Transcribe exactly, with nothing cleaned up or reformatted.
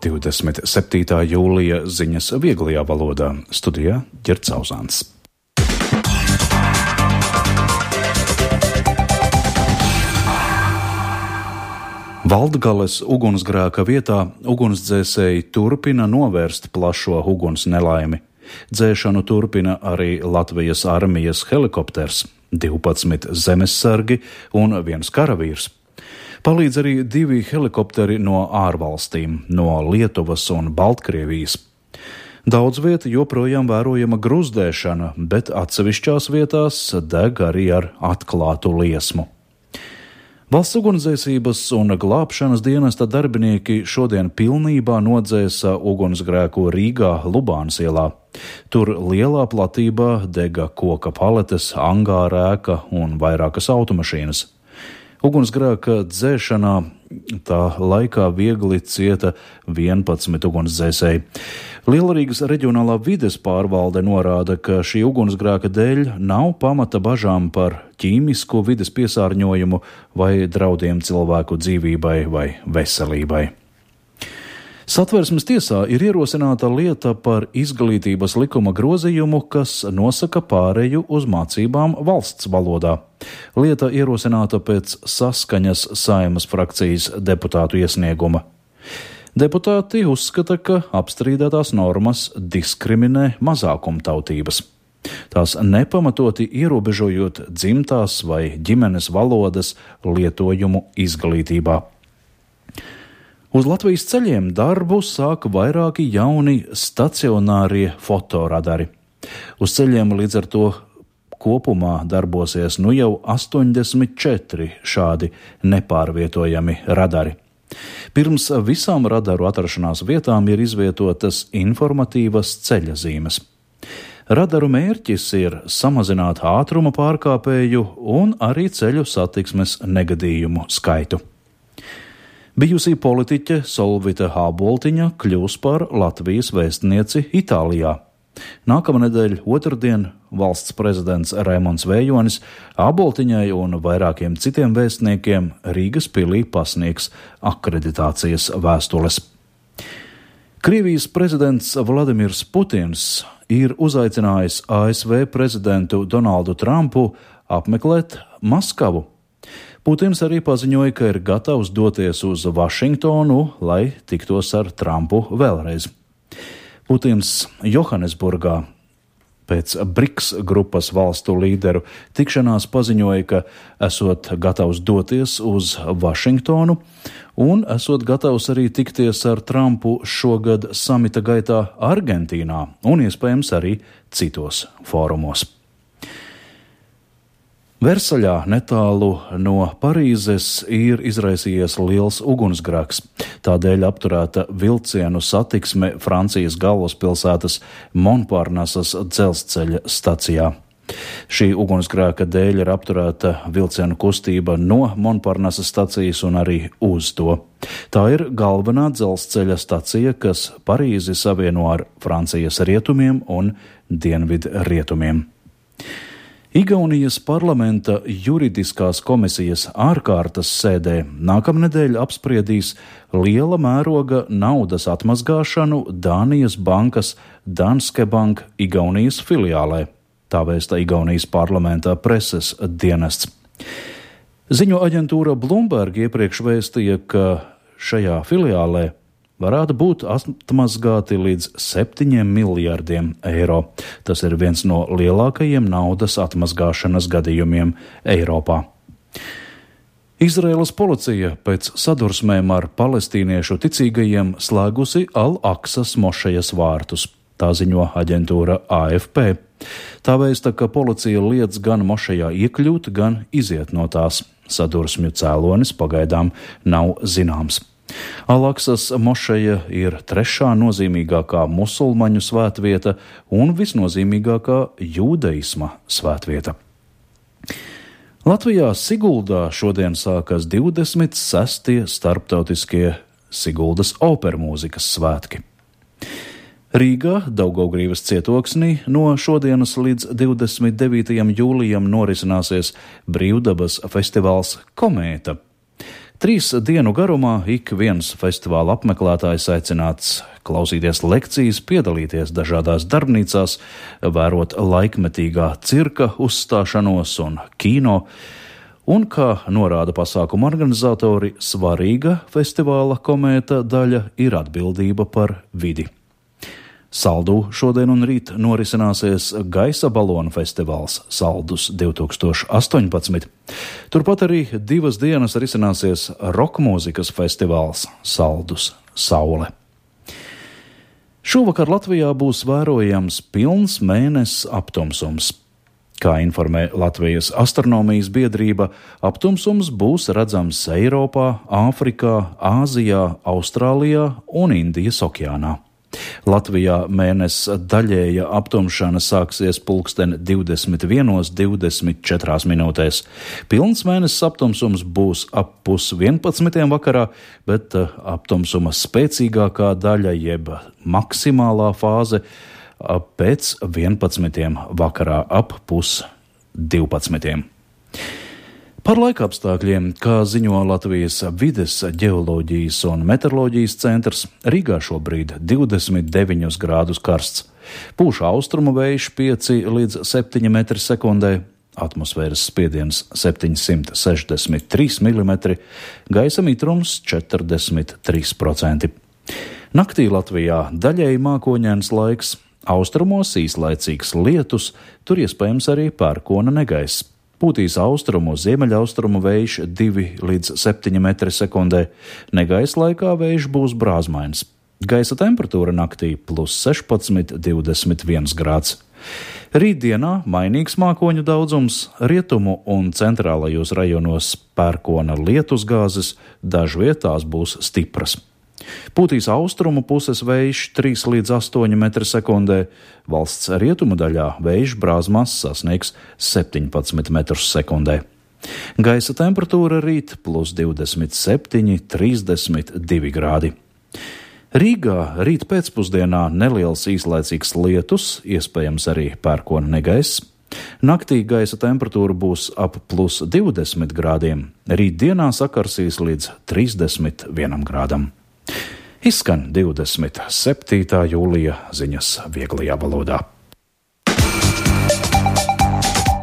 divdesmit septītā jūlija ziņas vieglajā valodā. Studijā Ģerts Auzāns. Valdgales ugunsgrēka vietā ugunsdzēsēji turpina novērst plašo uguns nelaimi. Dzēšanu turpina arī Latvijas armijas helikopters, divpadsmit zemessargi un viens karavīrs. Palīdz arī divi helikopteri no ārvalstīm, no Lietuvas un Baltkrievijas. Daudz vieta joprojām vērojama gruzdēšana, bet atsevišķās vietās deg arī ar atklātu liesmu. Valsts ugunsdzēsības un glābšanas dienesta darbinieki šodien pilnībā nodzēsa ugunsgrēku Rīgā Lubānas ielā. Tur lielā platībā dega koka paletes, angāra ēka un vairākas automašīnas. Ugunsgrēka dzēšanā tā laikā viegli cieta vienpadsmit ugunsdzēsēji. Lielrīgas reģionālā vides pārvalde norāda, ka šī ugunsgrēka dēļ nav pamata bažām par ķīmisko vides piesārņojumu vai draudiem cilvēku dzīvībai vai veselībai. Satversmes tiesā ir ierosināta lieta par izglītības likuma grozījumu, kas nosaka pāreju uz mācībām valsts valodā. Lieta ierosināta pēc saskaņas Saeimas frakcijas deputātu iesnieguma. Deputāti uzskata, ka apstrīdētās normas diskriminē mazākumtautības. Tās nepamatoti ierobežojot dzimtās vai ģimenes valodas lietojumu izglītībā. Uz Latvijas ceļiem darbu sāk vairāki jauni stacionārie fotoradari. Uz ceļiem līdz ar to kopumā darbosies nu jau astoņdesmit četri šādi nepārvietojami radari. Pirms visām radaru atrašanās vietām ir izvietotas informatīvas ceļazīmes. Radaru mērķis ir samazināt ātruma pārkāpēju un arī ceļu satiksmes negadījumu skaitu. Bijusī politiķe Solvita Āboltiņa kļūs par Latvijas vēstnieci Itālijā. Nākamnedēļ otrdien valsts prezidents Raimonds Vējonis Āboltiņai un vairākiem citiem vēstniekiem Rīgas pilī pasniegs akreditācijas vēstules. Krievijas prezidents Vladimirs Putins ir uzaicinājis A S V prezidentu Donaldu Trumpu apmeklēt Maskavu. Putins arī paziņoja, ka ir gatavs doties uz Vašingtonu, lai tiktos ar Trumpu vēlreiz. Putins Johannesburgā pēc BRICS grupas valstu līderu tikšanās paziņoja, ka esot gatavs doties uz Vašingtonu un esot gatavs arī tikties ar Trumpu šogad samita gaitā Argentīnā un iespējams arī citos fórumos. Versaļā netālu no Parīzes ir izraisījies liels ugunsgrēks. Tādēļ apturēta vilcienu satiksme Francijas galvaspilsētas Monparnasas dzelzceļa stacijā. Šī ugunsgrēka dēļ ir apturēta vilcienu kustība no Monparnasas stacijas un arī uz to. Tā ir galvenā dzelzceļa stacija, kas Parīzi savieno ar Francijas rietumiem un dienvidu rietumiem. Igaunijas parlamenta juridiskās komisijas ārkārtas sēdē nākamnedēļ apspriedīs liela mēroga naudas atmazgāšanu Dānijas bankas Danske Bank Igaunijas filiālē, tā vēsta Igaunijas parlamentā preses dienests. Ziņo aģentūra Bloomberg iepriekš vēstīja, ka šajā filiālē varētu būt atmazgāti līdz septiņiem miljardiem eiro. Tas ir viens no lielākajiem naudas atmazgāšanas gadījumiem Eiropā. Izraēlas policija pēc sadursmēm ar palestīniešu ticīgajiem slēgusi Al-Aksas mošejas vārtus. Tā ziņo aģentūra A F P. Tā vēsta, ka policija liedz gan mošejā iekļūt, gan iziet no tās. Sadursmju cēlonis pagaidām nav zināms. Al-Aksas mošeja ir trešā nozīmīgākā musulmaņu svētvieta un visnozīmīgākā jūdeisma svētvieta. Latvijā Siguldā šodien sākas divdesmit sestie starptautiskie Siguldas opermūzikas svētki. Rīgā, Daugavgrīvas cietoksnī, no šodienas līdz divdesmit devītajam jūlijam norisināsies brīvdabas festivāls Komēta. Trīs dienu garumā ik viens festivāla apmeklētājs aicināts klausīties lekcijas, piedalīties dažādās darbnīcās, vērot laikmetīgā cirka uzstāšanos un kino, un, kā norāda pasākuma organizatori, svarīga festivāla komēta daļa ir atbildība par vidi. Saldū šodien un rīt norisināsies gaisa balonu festivāls Saldus divtūkstoš astoņpadsmit. Turpat arī divas dienas risināsies rokmūzikas festivāls Saldus Saule. Šovakar Latvijā būs vērojams pilns mēnesis aptumsums. Kā informē Latvijas astronomijas biedrība, aptumsums būs redzams Eiropā, Āfrikā, Āzijā, Austrālijā un Indijas okeānā. Latvijā mēnesis daļēja aptumšana sāksies pulksten divdesmit vienos divdesmit četrās minūtēs. Pilns mēnesis aptumsums būs ap pus vienpadsmitiem vakarā, bet aptumsuma spēcīgākā daļa jeb maksimālā fāze pēc vienpadsmitiem vakarā ap pus divpadsmitiem. Par laikapstākļiem, kā ziņo Latvijas vides, ģeoloģijas un meteoroloģijas centrs, Rīgā šobrīd divdesmit deviņus grādus karsts. Pūš austrumu vējš pieci līdz septiņi metri sekundē, atmosfēras spiediens septiņsimt sešdesmit trīs milimetri, gaisa mitrums četrdesmit trīs procenti. Naktī Latvijā daļēji mākoņains laiks, austrumos īslaicīgs lietus, tur iespējams arī pērkona negaiss. Pūtīs austrumu, ziemeļaustrumu vējš divi līdz septiņi metri sekundē, negaisa laikā vējš būs brāzmains. Gaisa temperatūra naktī plus sešpadsmit divdesmit viens grāds. Rītdienā mainīgs mākoņu daudzums, rietumu un centrālajos rajonos pērkona lietusgāzes, dažvietās būs stipras. Pūtīs austrumu puses vējš trīs līdz astoņi metri sekundē, valsts rietumu daļā vējš brāzmās sasniegs septiņpadsmit metrus sekundē. Gaisa temperatūra rīt plus divdesmit septiņi, trīsdesmit divi grādi. Rīgā rīt pēcpusdienā neliels īslaicīgs lietus, iespējams arī pērkona negaiss. Naktī gaisa temperatūra būs ap plus divdesmit grādiem, rītdienā sakarsīs līdz trīsdesmit vienam grādam. Izskan divdesmit septītā jūlija ziņas vieglajā valodā.